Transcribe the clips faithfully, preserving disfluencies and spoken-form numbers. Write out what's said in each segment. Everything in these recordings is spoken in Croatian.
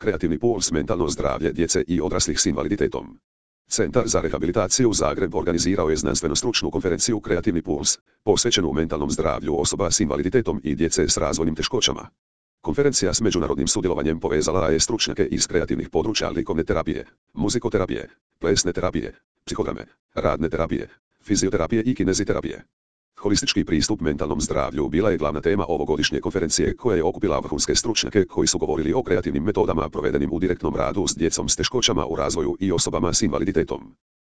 Kreativni puls, mentalno zdravlje djece i odraslih s invaliditetom. Centar za rehabilitaciju Zagreb organizirao je znanstveno-stručnu konferenciju Kreativni puls, posvećenu mentalnom zdravlju osoba s invaliditetom i djece s razvojnim teškoćama. Konferencija s međunarodnim sudjelovanjem povezala je stručnjake iz kreativnih područja likovne terapije, muzikoterapije, plesne terapije, psihodrame, radne terapije, fizioterapije i kineziterapije. Holistički pristup mentalnom zdravlju bila je glavna tema ovogodišnje konferencije koja je okupila vrhunske stručnjake koji su govorili o kreativnim metodama provedenim u direktnom radu s djecom s teškoćama u razvoju i osobama s invaliditetom.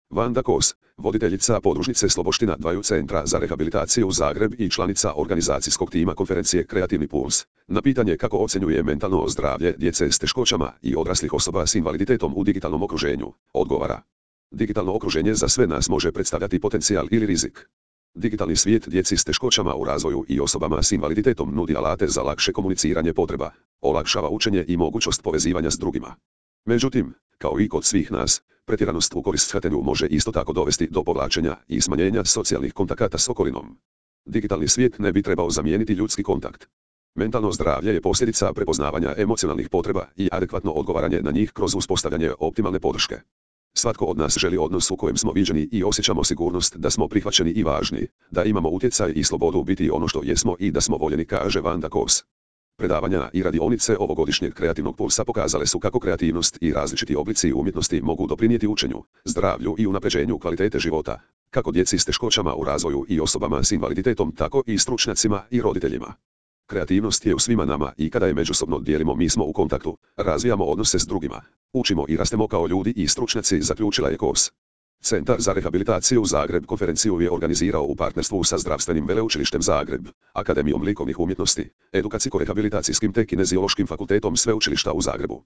Vanda Kos, voditeljica podružnice Sloboština dvaju Centra za rehabilitaciju Zagreb i članica organizacijskog tima konferencije Kreativni puls, na pitanje kako ocjenjuje mentalno zdravlje djece s teškoćama i odraslih osoba s invaliditetom u digitalnom okruženju, odgovara: digitalno okruženje za sve nas može predstavljati potencijal ili rizik. Digitalni svijet djeci s teškoćama u razvoju i osobama s invaliditetom nudi alate za lakše komuniciranje potreba, olakšava učenje i mogućnost povezivanja s drugima. Međutim, kao i kod svih nas, pretjeranost u korist shvaćanju može isto tako dovesti do povlačenja i smanjenja socijalnih kontakata s okolinom. Digitalni svijet ne bi trebao zamijeniti ljudski kontakt. Mentalno zdravlje je posljedica prepoznavanja emocionalnih potreba i adekvatno odgovaranje na njih kroz uspostavljanje optimalne podrške. Svatko od nas želi odnos u kojem smo viđeni i osjećamo sigurnost da smo prihvaćeni i važni, da imamo utjecaj i slobodu biti ono što jesmo i da smo voljeni, kaže Vanda Kos. Predavanja i radionice ovogodišnjeg kreativnog pulsa pokazale su kako kreativnost i različiti oblici umjetnosti mogu doprinijeti učenju, zdravlju i unapređenju kvalitete života, kako djeci s teškoćama u razvoju i osobama s invaliditetom, tako i stručnjacima i roditeljima. Kreativnost je u svima nama i kada je međusobno dijelimo mi smo u kontaktu, razvijamo odnose s drugima, učimo i rastemo kao ljudi i stručnjaci, zaključila je Kos. Centar za rehabilitaciju Zagreb konferenciju je organizirao u partnerstvu sa Zdravstvenim veleučilištem Zagreb, Akademijom likovnih umjetnosti, edukacijsko-rehabilitacijskim te kineziološkim fakultetom Sveučilišta u Zagrebu.